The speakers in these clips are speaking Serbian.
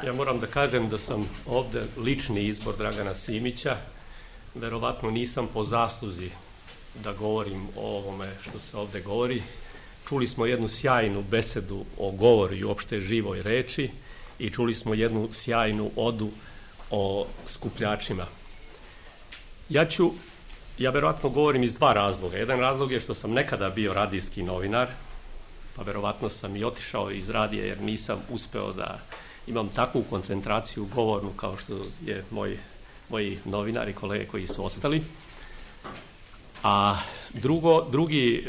Ja moram da kažem da sam ovde lični izbor Dragana Simića. Verovatno nisam po zasluzi da govorim o ovome što se ovde govori. Čuli smo jednu sjajnu besedu o govoru i uopšte živoj reči i čuli smo jednu sjajnu odu o skupljačima. Ja verovatno govorim iz dva razloga. Jedan razlog je što sam nekada bio radijski novinar, pa verovatno sam i otišao iz radija jer nisam uspeo da imam takvu koncentraciju govornu kao što je moji novinari, kolege koji su ostali. A drugi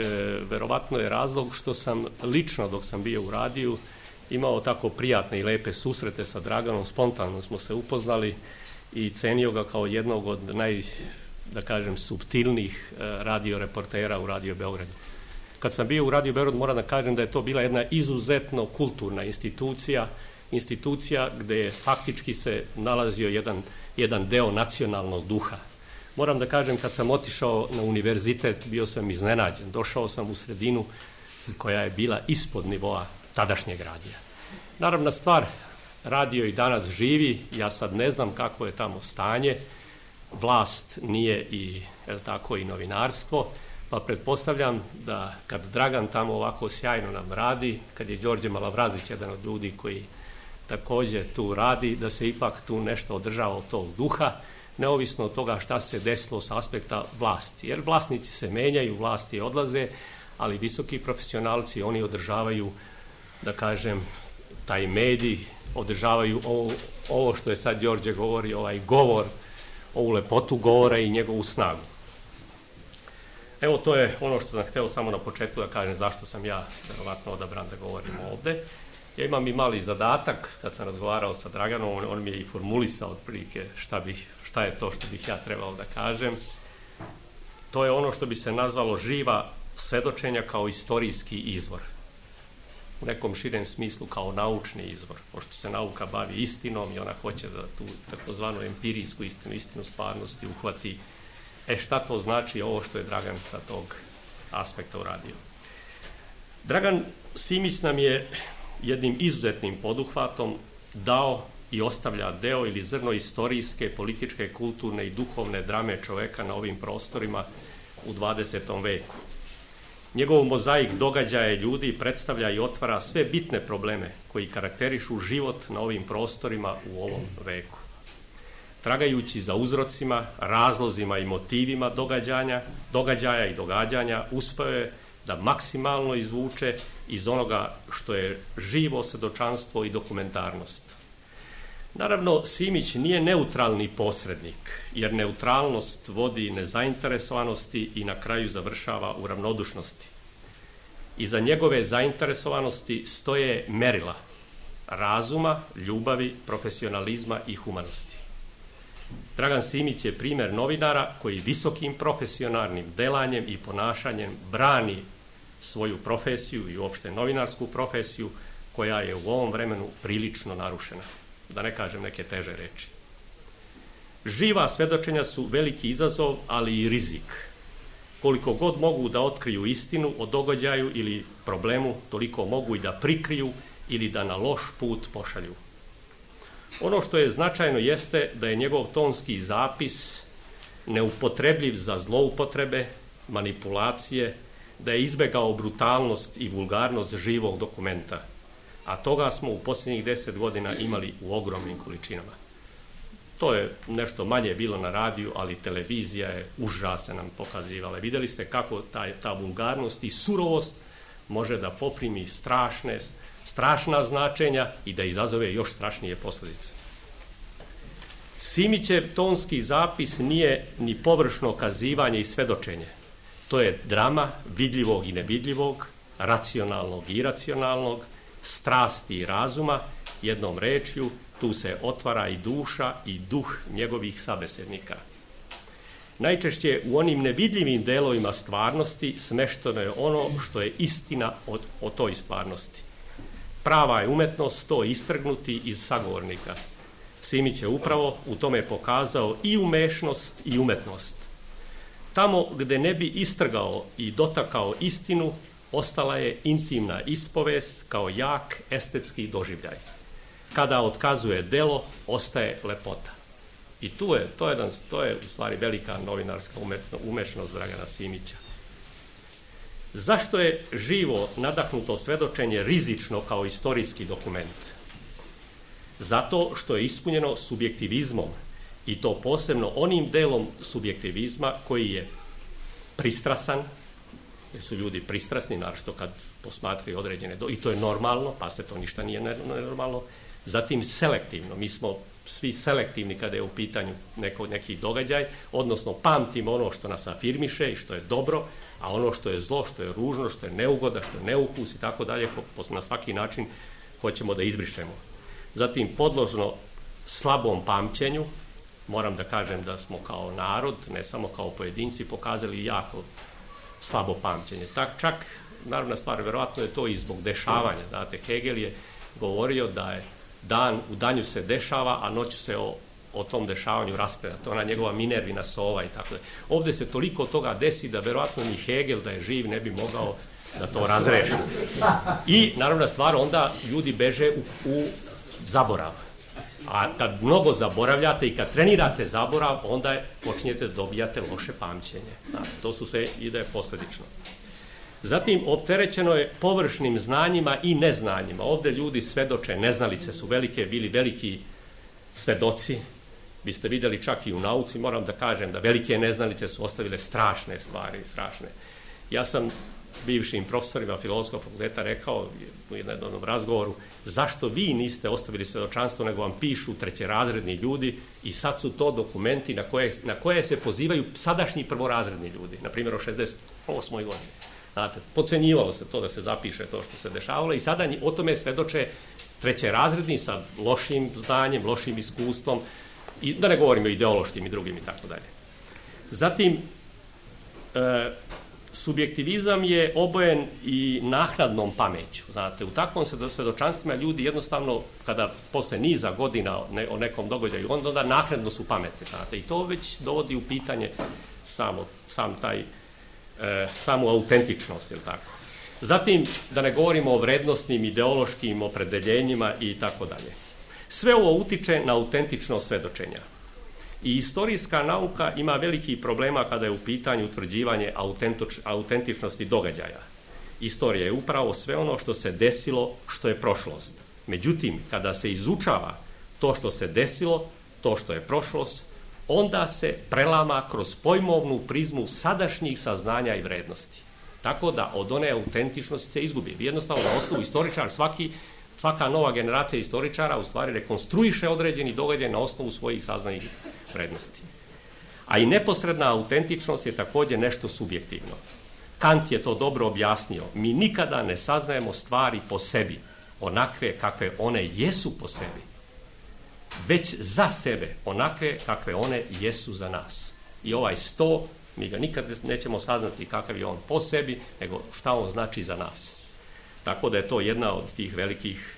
verovatno je razlog što sam lično dok sam bio u radiju imao tako prijatne i lepe susrete sa Draganom, spontano smo se upoznali i cenio ga kao jednog od suptilnijih radioreportera u Radio Beogradu. Kad sam bio u Radio Beogradu moram da kažem da je to bila jedna izuzetno kulturna institucija gde je faktički se nalazio jedan deo nacionalnog duha. Moram da kažem, kad sam otišao na univerzitet, bio sam iznenađen. Došao sam u sredinu koja je bila ispod nivoa tadašnjeg radija. Naravna stvar, radio i danas živi, ja sad ne znam kako je tamo stanje, vlast nije i novinarstvo, pa pretpostavljam da kad Dragan tamo ovako sjajno nam radi, kad je Đorđe Malavrazić jedan od ljudi koji takođe tu radi, da se ipak tu nešto održava od tog duha, neovisno od toga šta se desilo sa aspekta vlasti. Jer vlasnici se menjaju, vlasti odlaze, ali visoki profesionalci, oni održavaju, da kažem, taj medij, održavaju ovo što je sad Đorđe govori, ovaj govor, ovu lepotu govora i njegovu snagu. Evo, to je ono što sam hteo samo na početku da kažem zašto sam ja verovatno odabran da govorim ovde. Ja imam i mali zadatak, kad sam razgovarao sa Draganom, on mi je i formulisao otprilike šta je to što bih ja trebao da kažem. To je ono što bi se nazvalo živa svedočenja kao istorijski izvor. U nekom širem smislu kao naučni izvor, pošto se nauka bavi istinom i ona hoće da tu takozvanu empirijsku istinu stvarnosti uhvati. Šta to znači ovo što je Dragan sa tog aspekta uradio? Dragan Simić nam je jednim izuzetnim poduhvatom dao i ostavlja deo ili zrno istorijske, političke, kulturne i duhovne drame čoveka na ovim prostorima u 20. veku. Njegov mozaik događaja ljudi predstavlja i otvara sve bitne probleme koji karakterišu život na ovim prostorima u ovom veku. Tragajući za uzrocima, razlozima i motivima događaja i događanja, uspeo je da maksimalno izvuče iz onoga što je živo svedočanstvo i dokumentarnost. Naravno, Simić nije neutralni posrednik, jer neutralnost vodi nezainteresovanosti i na kraju završava u ravnodušnosti. Iza njegove zainteresovanosti stoje merila razuma, ljubavi, profesionalizma i humanosti. Dragan Simić je primer novinara koji visokim profesionalnim delanjem i ponašanjem brani svoju profesiju i uopšte novinarsku profesiju koja je u ovom vremenu prilično narušena, da ne kažem neke teže reči. Živa svedočenja su veliki izazov, ali i rizik. Koliko god mogu da otkriju istinu o događaju ili problemu, toliko mogu i da prikriju ili da na loš put pošalju. Ono što je značajno jeste da je njegov tonski zapis neupotrebljiv za zloupotrebe, manipulacije, da je izbegao brutalnost i vulgarnost živog dokumenta, a toga smo u posljednjih 10 godina imali u ogromnim količinama. To je nešto manje bilo na radiju, ali televizija je užasno nam pokazivala. Videli ste kako ta vulgarnost i surovost može da poprimi strašna značenja i da izazove još strašnije posljedice. Simićev tonski zapis nije ni površno kazivanje i svedočenje. To je drama vidljivog i nevidljivog, racionalnog i iracionalnog, strasti i razuma, jednom rečju, tu se otvara i duša i duh njegovih sabesednika. Najčešće u onim nevidljivim delovima stvarnosti smešteno je ono što je istina o toj stvarnosti. Prava je umetnost to istrgnuti iz sagovornika. Simić je upravo u tome pokazao i umešnost i umetnost. Tamo gde ne bi istrgao i dotakao istinu, ostala je intimna ispovest kao jak estetski doživljaj. kada otkazuje delo, ostaje lepota. I to je u stvari velika novinarska umešnost Dragana Simića. Zašto je živo nadahnuto svedočenje rizično kao istorijski dokument? Zato što je ispunjeno subjektivizmom, i to posebno onim delom subjektivizma koji je pristrasan, jer su ljudi pristrasni, naročito kad posmatraju određene i to je normalno, pa se to ništa nije nenormalno. Zatim selektivno, mi smo svi selektivni kada je u pitanju neki događaj, odnosno pamtimo ono što nas afirmiše i što je dobro, a ono što je zlo, što je ružno, što je neugoda, što je neukus i tako dalje, na svaki način hoćemo da izbrišemo. Zatim podložno slabom pamćenju, moram da kažem da smo kao narod, ne samo kao pojedinci, pokazali jako slabo pamćenje. Čak, naravna stvar, verovatno je to i zbog dešavanja. Znate, Hegel je govorio da je u danju se dešava, a noću se o tom dešavanju raspravlja. To je ona njegova Minervina sova i tako da. Ovde se toliko toga desi da verovatno ni Hegel da je živ ne bi mogao da to razreši. I, naravna stvar, onda ljudi beže u zaborav. A kad mnogo zaboravljate i kad trenirate zaborav, onda počinjete da dobijate loše pamćenje. To su sve ide posledično. Zatim, opterećeno je površnim znanjima i neznanjima. Ovde ljudi svedoče, neznalice su bili veliki svedoci. Vi ste vidjeli čak i u nauci, moram da kažem da velike neznalice su ostavile strašne stvari, strašne. Ja sam bivšim profesorima Filozofskog fakulteta rekao u jednom razgovoru, zašto vi niste ostavili svedočanstvo, nego vam pišu trećerazredni ljudi i sad su to dokumenti na koje se pozivaju sadašnji prvorazredni ljudi, na primjer o 68. godini. Znate, podcenjivalo se to da se zapiše to što se dešavalo i sada o tome svedoče trećerazredni sa lošim znanjem, lošim iskustvom, i da ne govorimo o ideološkim i drugim i tako dalje. Zatim, subjektivizam je obojen i naknadnom pameću. Znate, u takvom svedočanstvima ljudi jednostavno, kada posle niza godina o nekom događaju, onda naknadno su pametni. Znate, i to već dovodi u pitanje samu autentičnost, ili tako. Zatim, da ne govorimo o vrednostnim, ideološkim opredeljenjima i tako dalje. Sve ovo utiče na autentičnost svedočenja. I istorijska nauka ima velikih problema kada je u pitanju utvrđivanje autentičnosti događaja. Istorija je upravo sve ono što se desilo, što je prošlost. Međutim, kada se izučava to što se desilo, to što je prošlost, onda se prelama kroz pojmovnu prizmu sadašnjih saznanja i vrednosti. Tako da od one autentičnosti se izgubi. Jednostavno, na osnovu istoričar, svaka nova generacija istoričara u stvari rekonstruiše određeni događaj na osnovu svojih saznanih vrednosti. A i neposredna autentičnost je također nešto subjektivno. Kant je to dobro objasnio. Mi nikada ne saznajemo stvari po sebi, onakve kakve one jesu po sebi, već za sebe, onakve kakve one jesu za nas. I ovaj sto, mi ga nikad nećemo saznati kakav je on po sebi, nego šta on znači za nas. Tako da je to jedna od tih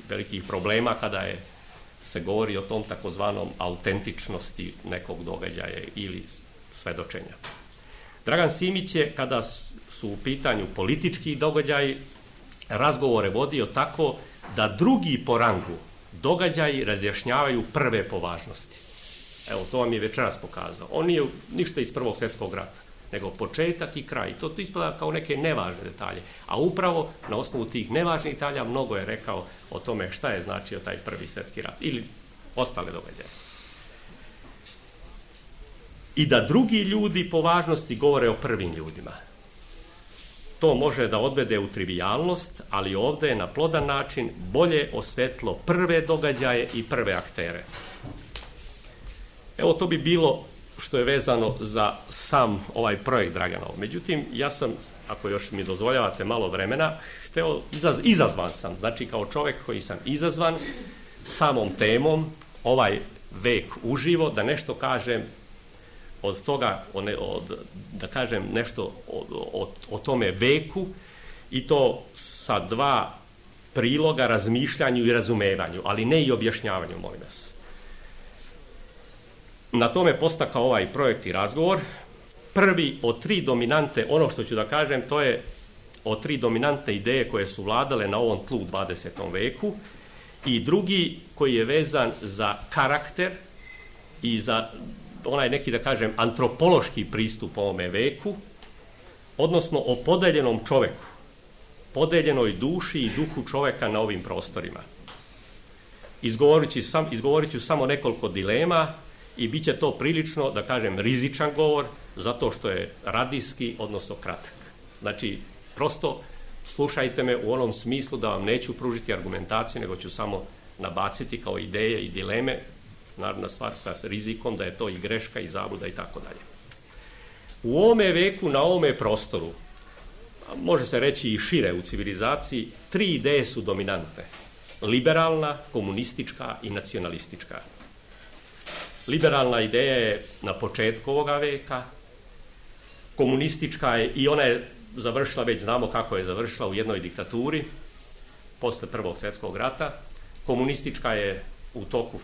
velikih problema kada se govori o tom takozvanom autentičnosti nekog događaja ili svedočenja. Dragan Simić je, kada su u pitanju politički događaji, razgovore vodio tako da drugi po rangu događaji razjašnjavaju prve po važnosti. Evo, to vam je večeras pokazao. On nije ništa iz Prvog svjetskog rata, nego početak i kraj. To ispada kao neke nevažne detalje. A upravo na osnovu tih nevažnih detalja mnogo je rekao o tome šta je značio taj Prvi svjetski rat ili ostale događaje. I da drugi ljudi po važnosti govore o prvim ljudima. To može da odvede u trivijalnost, ali ovdje je na plodan način bolje osvetlo prve događaje i prve aktere. Evo, to bi bilo što je vezano za sam ovaj projekt Draganov. Međutim, ja sam, ako još mi dozvoljavate malo vremena, izazvan sam, znači kao čovjek koji sam izazvan samom temom, ovaj vek uživo, da nešto kažem od toga, da kažem nešto o tome veku, i to sa dva priloga razmišljanju i razumevanju, ali ne i objašnjavanju, molim vas. Na tome postakao ovaj projekt i razgovor. Prvi od tri dominante, ono što ću da kažem, to je od tri dominante ideje koje su vladale na ovom tlu u 20. veku i drugi koji je vezan za karakter i za onaj neki, da kažem, antropološki pristup ovome veku, odnosno o podeljenom čoveku, podeljenoj duši i duhu čoveka na ovim prostorima. Izgovorit ću samo nekoliko dilema i bit će to prilično, da kažem, rizičan govor, zato što je radijski, odnosno kratak. Znači, prosto slušajte me u onom smislu da vam neću pružiti argumentaciju, nego ću samo nabaciti kao ideje i dileme, naravno stvar sa rizikom da je to i greška i zabluda i tako dalje. U ovome veku, na ovome prostoru, može se reći i šire u civilizaciji, 3 ideje su dominantne. Liberalna, komunistička i nacionalistička. Liberalna ideja je na početku ovoga veka, komunistička je, i ona je završila, već znamo kako je završila, u jednoj diktaturi, posle Prvog svjetskog rata. Komunistička je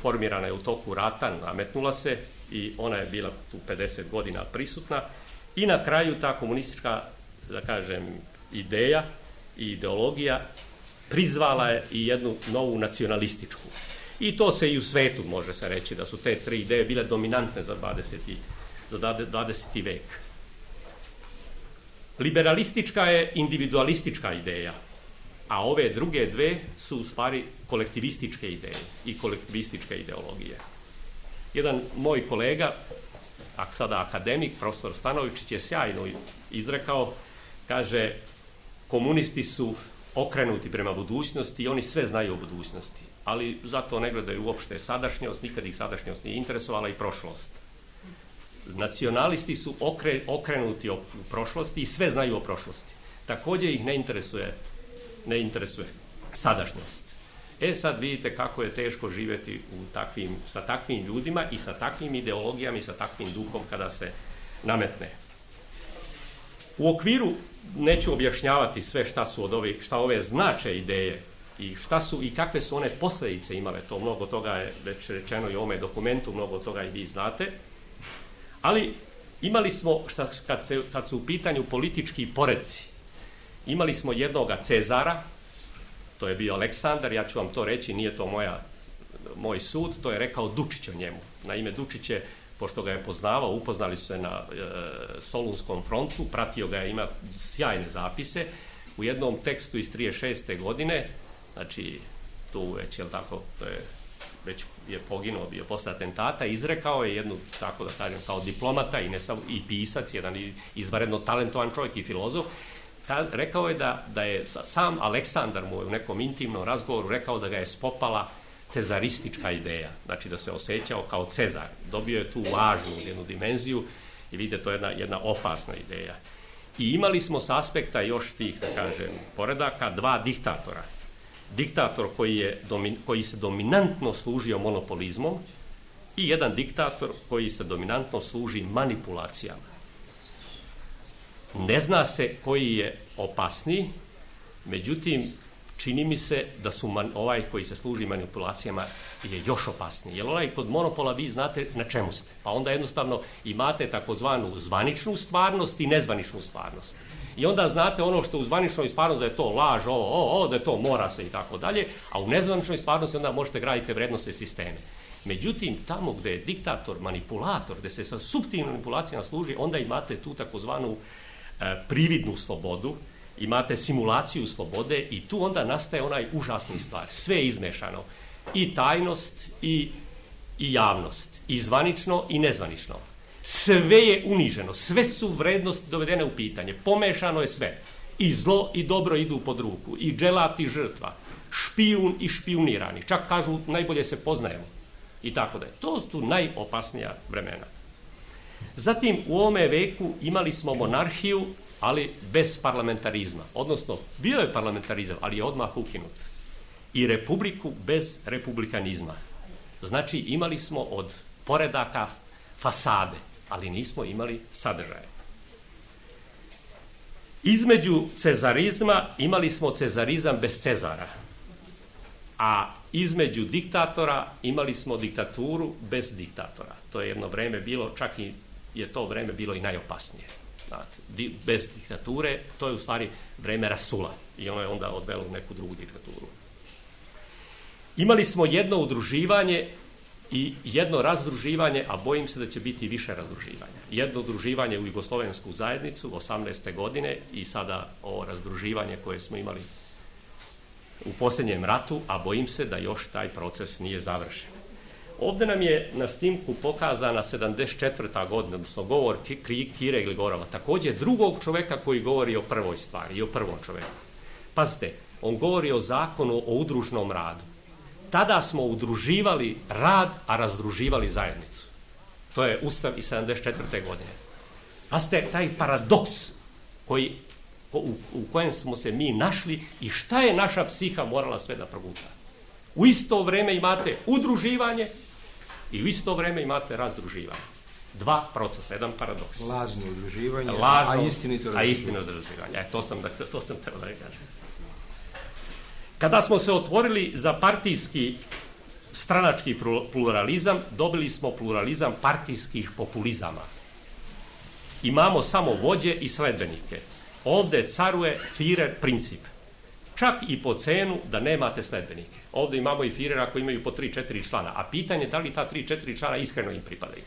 formirana je u toku rata, nametnula se i ona je bila tu 50 godina prisutna. I na kraju ta komunistička, da kažem, ideja i ideologija prizvala je i jednu novu nacionalističku. I to se i u svetu može se reći da su te 3 ideje bile dominantne za 20. vek. Liberalistička je individualistička ideja, a ove druge dve su u stvari kolektivističke ideje i kolektivističke ideologije. Jedan moj kolega, sada akademik, profesor Stanovičić, je sjajno izrekao, kaže, komunisti su okrenuti prema budućnosti i oni sve znaju o budućnosti, ali zato ne gledaju uopšte sadašnjost, nikad ih sadašnjost nije interesovala, i prošlost. Nacionalisti su okrenuti u prošlosti i sve znaju o prošlosti. Također ih ne interesuje sadašnjost. Sad vidite kako je teško živjeti sa takvim ljudima i sa takvim ideologijama i sa takvim duhom kada se nametne. U okviru, neću objašnjavati sve šta ove znače ideje i šta su i kakve su one posljedice imale, to mnogo toga je već rečeno i u ovome dokumentu, mnogo toga i vi znate, ali imali smo, kad su u pitanju politički poreci, imali smo jednoga Cezara, to je bio Aleksandar, ja ću vam to reći, nije to moj sud, to je rekao Dučić o njemu. Naime, Dučić je, pošto ga je poznavao, upoznali su se na Solunskom frontu, pratio ga je, ima sjajne zapise, u jednom tekstu iz 36. godine, znači tu već, jel tako, već je poginuo, bio posle atentata, izrekao je jednu, tako da kažem, kao diplomata i pisac, jedan izvanredno talentovan čovjek i filozof, rekao je da je sam Aleksandar mu u nekom intimnom razgovoru rekao da ga je spopala cezaristička ideja, znači da se osjećao kao Cezar. Dobio je tu važnu jednu dimenziju i vidite, to je jedna opasna ideja. I imali smo s aspekta još tih, da kažem, poredaka, 2 diktatora. Diktator koji se dominantno služio monopolizmom i jedan diktator koji se dominantno služi manipulacijama. Ne zna se koji je opasniji, međutim, čini mi se da su ovaj koji se služi manipulacijama je još opasniji. Jer ovaj kod monopola vi znate na čemu ste. Pa onda jednostavno imate takozvanu zvaničnu stvarnost i nezvaničnu stvarnost. I onda znate ono što u zvaničnoj stvarnosti da je to laž, da je to mora se i tako dalje, a u nezvaničnoj stvarnosti onda možete graditi vrednostne sisteme. Međutim, tamo gdje je diktator, manipulator, gdje se sa suptilnim manipulacijama služi, onda imate tu takozvanu prividnu slobodu, imate simulaciju slobode i tu onda nastaje onaj užasni stvar. Sve je izmešano. I tajnost i javnost. I zvanično i nezvanično. Sve je uniženo. Sve su vrednosti dovedene u pitanje. Pomešano je sve. I zlo i dobro idu pod ruku. I dželat i žrtva. Špijun i špijunirani. Čak kažu najbolje se poznajemo. I tako da je. To su najopasnija vremena. Zatim u ovome veku imali smo monarhiju, ali bez parlamentarizma. Odnosno, bio je parlamentarizam, ali je odmah ukinut. I republiku bez republikanizma. Znači, imali smo od poredaka fasade, ali nismo imali sadržaje. Između cezarizma imali smo cezarizam bez Cezara, a između diktatora imali smo diktaturu bez diktatora. To je jedno vreme bilo, čak i je to vreme bilo i najopasnije. Bez diktature, to je u stvari vreme rasula i ono je onda odvelo u neku drugu diktaturu. Imali smo jedno udruživanje i jedno razdruživanje, a bojim se da će biti više razdruživanja. Jedno udruživanje u Jugoslovensku zajednicu 18. godine i sada ovo razdruživanje koje smo imali u posljednjem ratu, a bojim se da još taj proces nije završen. Ovdje nam je na snimku pokazana 74. godina, odnosno govor Kire Gligorova, također drugog čoveka koji govori o prvoj stvari i o prvom čoveku. Pazite, on govori o zakonu o udružnom radu. Tada smo udruživali rad, a razdruživali zajednicu. To je Ustav iz 74. godine. Pazite, taj paradoks u kojem smo se mi našli i šta je naša psiha morala sve da proguta. U isto vrijeme imate udruživanje i u isto vrijeme imate razdruživanje. Dva procesa, jedan paradoks. Lažno udruživanje, a istinito razdruživanje. To sam trebao da kažem. Kada smo se otvorili za partijski stranački pluralizam, dobili smo pluralizam partijskih populizama. Imamo samo vođe i sledbenike. Ovdje caruje Führer princip. Čak i po cenu da nemate sledbenike. Ovdje imamo i Führera koji imaju po 3-4 člana, a pitanje je da li ta 3-4 člana iskreno im pripadaju.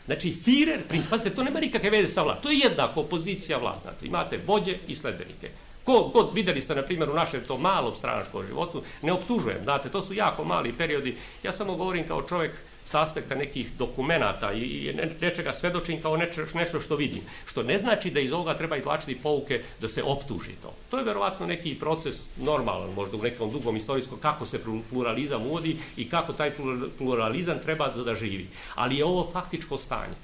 Znači, Führer princip, pazite, to nema nikakve veze sa vladom. To je jednako opozicija vlad. Znači, imate vođe i sledbenike. Ko god vidjeli ste, na primjer, u našem tom malom stranačkom životu, ne optužujem, znate, to su jako mali periodi. Ja samo govorim kao čovjek s aspekta nekih dokumenata i nečega svedočim kao nešto što vidim. Što ne znači da iz ovoga treba izvlačiti pouke da se optuži to. To je verovatno neki proces normalan, možda u nekom dugom istorijskom, kako se pluralizam uvodi i kako taj pluralizam treba da živi. Ali je ovo faktičko stanje.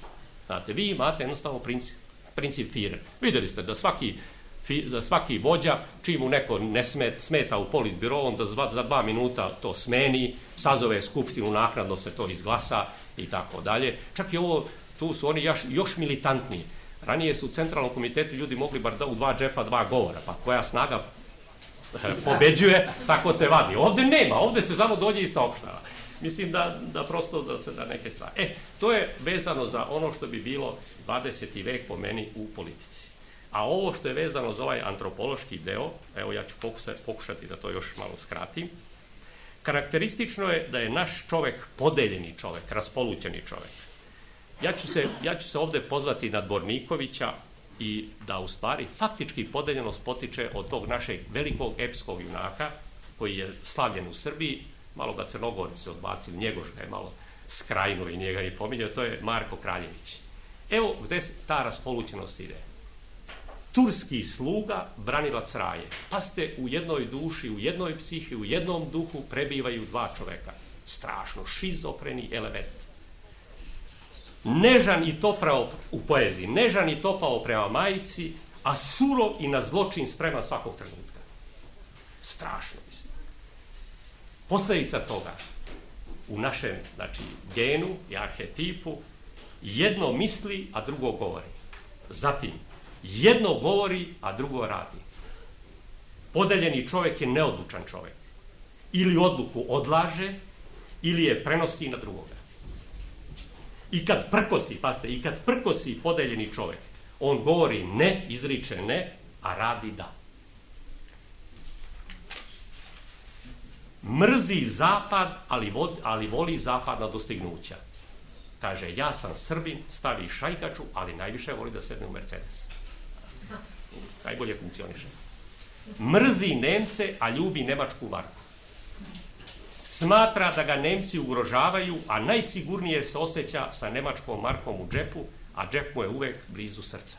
Znate, vi imate jednostavno princip Führer. Vidjeli ste da svaki vođa, čim mu neko ne smeta u politbiro, on da za 2 minuta to smeni, sazove skupštinu, naknadno se to izglasa i tako dalje. Čak i ovo, tu su oni još militantniji. Ranije su u centralnom komitetu ljudi mogli bar u 2 džepa 2 govora, pa koja snaga pobeđuje, tako se vadi. Ovdje nema, ovdje se samo dođe i saopštava. Mislim da prosto da neke stvari. To je vezano za ono što bi bilo 20. vek po meni u politici. A ovo što je vezano za ovaj antropološki deo, evo ja ću pokušati da to još malo skratim, karakteristično je da je naš čovjek podeljeni čovjek, raspolućeni čovjek. Ja ću se ovdje pozvati na Dvornikovića i da u stvari faktički podeljenost potiče od tog našeg velikog epskog junaka koji je slavljen u Srbiji, malo ga Crnogorci odbacili, Njegoš ga je malo skrajnuo i njega ni pominjao, to je Marko Kraljević. Evo gdje ta raspolućenost ide. Turski sluga, branilac raje. Pazite, u jednoj duši, u jednoj psihi, u jednom duhu prebivaju 2 čoveka. Strašno, šizofreni element. Nežan i topao u poeziji, nežan i topao prema majici, a surov i na zločin spreman svakog trenutka. Strašno, mislim. Posljedica toga u našem, znači, genu i arhetipu, jedno misli, a drugo govori. Zatim, jedno govori, a drugo radi. Podeljeni čovjek je neodlučan čovjek. Ili odluku odlaže, ili je prenosi na drugoga. I kad prkosi podeljeni čovjek, on govori ne, izriče ne, a radi da. Mrzi zapad, ali voli zapadna dostignuća. Kaže, ja sam Srbin, stavi šajkaču, ali najviše voli da sedne u Mercedes. Najbolje funkcioniše. Mrzi Nemce, a ljubi nemačku marku. Smatra da ga Nemci ugrožavaju, a najsigurnije se osjeća sa nemačkom markom u džepu, a džep mu je uvek blizu srca.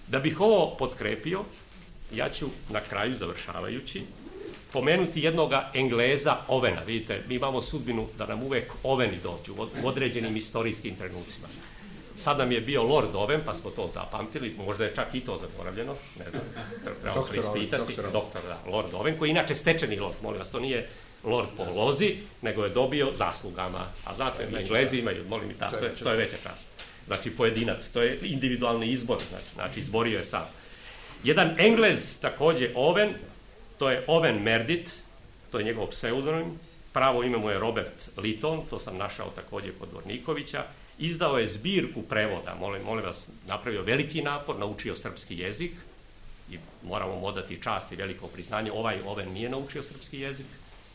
Da bih ovo potkrepio, ja ću na kraju, završavajući, pomenuti jednoga Engleza Ovena. Vidite, mi imamo sudbinu da nam uvek Oveni dođu u određenim istorijskim trenucima. Sad nam je bio Lord Owen, pa smo to zapamtili, možda je čak i to zaboravljeno, ne znam, trebamo preispitati. Doktor, da, Lord Owen, koji je inače stečeni lord, molim vas, to nije lord po lozi, nego je dobio zaslugama, a znate, Englezi imaju, molim i tako, to je veća čast. Znači, pojedinac, to je individualni izbor, znači izborio je sam. Jedan Englez, također Owen, to je Owen Merdit, to je njegov pseudonim, pravo ime mu je Robert Litton, to sam našao također kod Dvornikovića. Izdao je zbirku prevoda, molim vas, napravio veliki napor, naučio srpski jezik i moramo mu odati čast i veliko priznanje. Oven nije naučio srpski jezik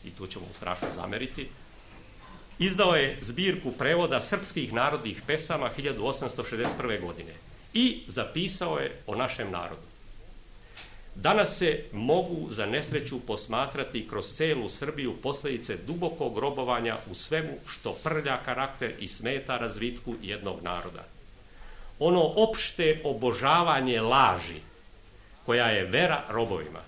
i tu ćemo mu strašno zameriti. Izdao je zbirku prevoda srpskih narodnih pesama 1861. godine i zapisao je o našem narodu. Danas se mogu za nesreću posmatrati kroz celu Srbiju posljedice dubokog robovanja u svemu što prlja karakter i smeta razvitku jednog naroda. Ono opšte obožavanje laži, koja je vera robovima,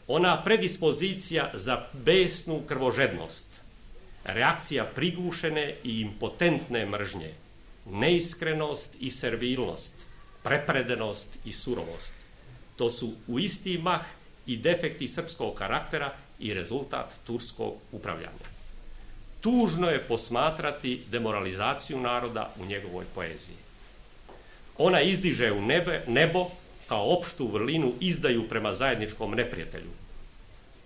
ona predispozicija za besnu krvožednost, reakcija prigušene i impotentne mržnje, neiskrenost i servilnost, prepredenost i surovost. To su u isti mah i defekti srpskog karaktera i rezultat turskog upravljanja. Tužno je posmatrati demoralizaciju naroda u njegovoj poeziji. Ona izdiže u nebo kao opštu vrlinu izdaju prema zajedničkom neprijatelju.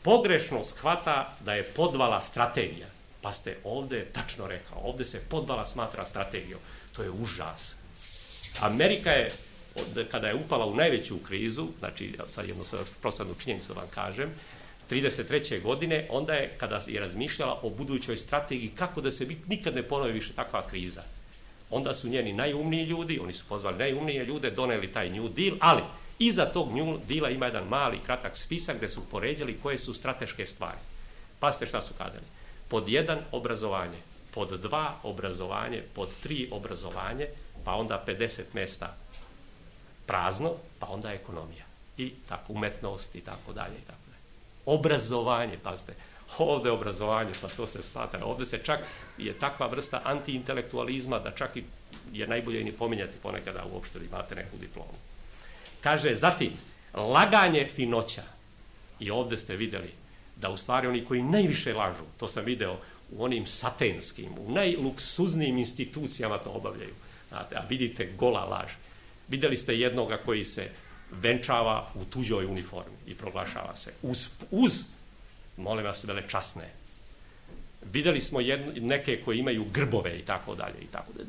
Pogrešno shvata da je podvala strategija. Pa ste ovdje tačno rekao, ovdje se podvala smatra strategijom. To je užas. Amerika je, kada je upala u najveću krizu, znači sad jednu prostornu činjenicu da vam kažem, 1933. godine, onda je, kada je razmišljala o budućoj strategiji, kako da se nikad ne ponovi više takva kriza. Onda su njeni najumniji ljudi, oni su pozvali najumnije ljude, doneli taj New Deal, ali iza tog New Deala ima jedan mali, kratak spisak gdje su poređali koje su strateške stvari. Pazite šta su kazali. Pod 1 obrazovanje, pod 2 obrazovanje, pod 3 obrazovanje, pa onda 50 mjesta prazno, pa onda ekonomija. I tako umetnost i tako dalje i tako dalje. Obrazovanje, pazite, ovdje obrazovanje, pa to se smatra, ovdje se čak je takva vrsta antiintelektualizma da čak i je najbolje ni pominjati ponekad da uopšte imate neku diplomu. Kaže, zatim, laganje finoća. I ovdje ste vidjeli da u stvari oni koji najviše lažu, to sam video u onim satenskim, u najluksuznijim institucijama to obavljaju. Znate, a vidite gola laž. Vidjeli ste jednoga koji se venčava u tuđoj uniformi i proglašava se. Uz molim vas, velečasne. Vidjeli smo neke koji imaju grbove i tako dalje.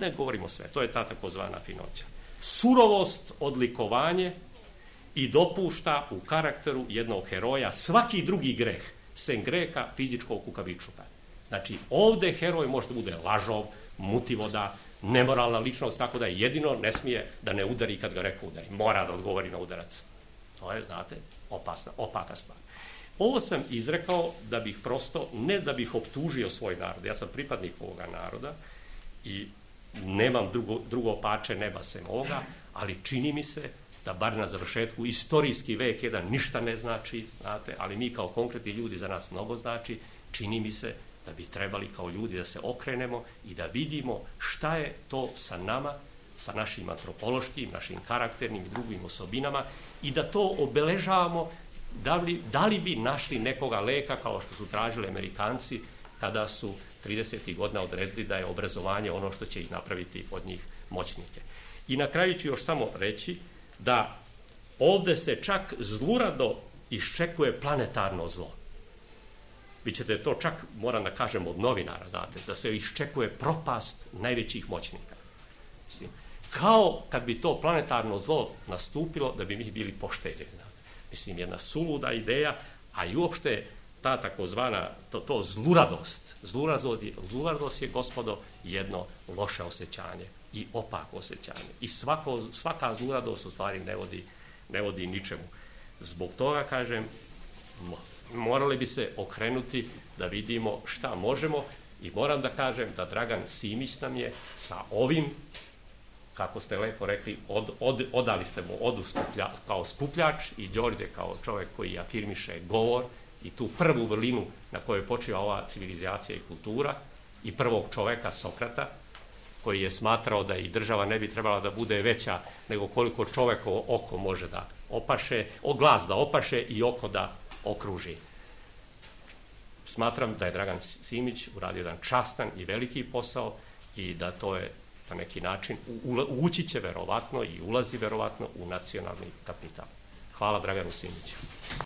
Ne govorimo sve, to je ta takozvana finoća. Surovost, odlikovanje i dopušta u karakteru jednog heroja svaki drugi greh, sem greha fizičkog kukavičluka. Znači, ovdje heroj može da bude lažov, mutivoda, nemoralna ličnost, tako da jedino ne smije da ne udari kad ga neko udari. Mora da odgovori na udarac. To je, znate, opaka stvar. Ovo sam izrekao da bih prosto, ne da bih optužio svoj narod. Ja sam pripadnik ovoga naroda i nemam drugo pače neba sem ovoga, ali čini mi se da bar na završetku istorijski vek jedan ništa ne znači, znate, ali mi kao konkretni ljudi za nas mnogo znači, čini mi se da bi trebali kao ljudi da se okrenemo i da vidimo šta je to sa nama, sa našim antropološkim, našim karakternim i drugim osobinama i da to obeležavamo. Da li bi našli nekoga leka kao što su tražili Amerikanci kada su 30. godina odredili da je obrazovanje ono što će ih napraviti od njih moćnike. I na kraju ću još samo reći da ovdje se čak zlurado iščekuje planetarno zlo. Vi ćete to čak, moram da kažem od novinara, znate, da se iščekuje propast najvećih moćnika. Mislim, kao kad bi to planetarno zlo nastupilo da bi mi bili pošteđeni. Mislim, jedna suluda ideja, a i uopšte ta takozvana, to zluradost. Zluradost je, gospodo, jedno loše osjećanje i opako osjećanje. I svaka zluradost u stvari ne vodi ničemu. Zbog toga, kažem, morali bi se okrenuti da vidimo šta možemo i moram da kažem da Dragan Simić nam je sa ovim, kako ste lepo rekli, odali ste mu odu kao skupljač i Đorđe kao čovjek koji afirmiše govor i tu prvu vrlinu na kojoj počiva ova civilizacija i kultura i prvog čoveka Sokrata koji je smatrao da i država ne bi trebala da bude veća nego koliko čovekovo oko može da opaše, glas da opaše i oko da okruži. Smatram da je Dragan Simić uradio jedan častan i veliki posao i da to je na neki način ući će verovatno i ulazi verovatno u nacionalni kapital. Hvala Draganu Simiću.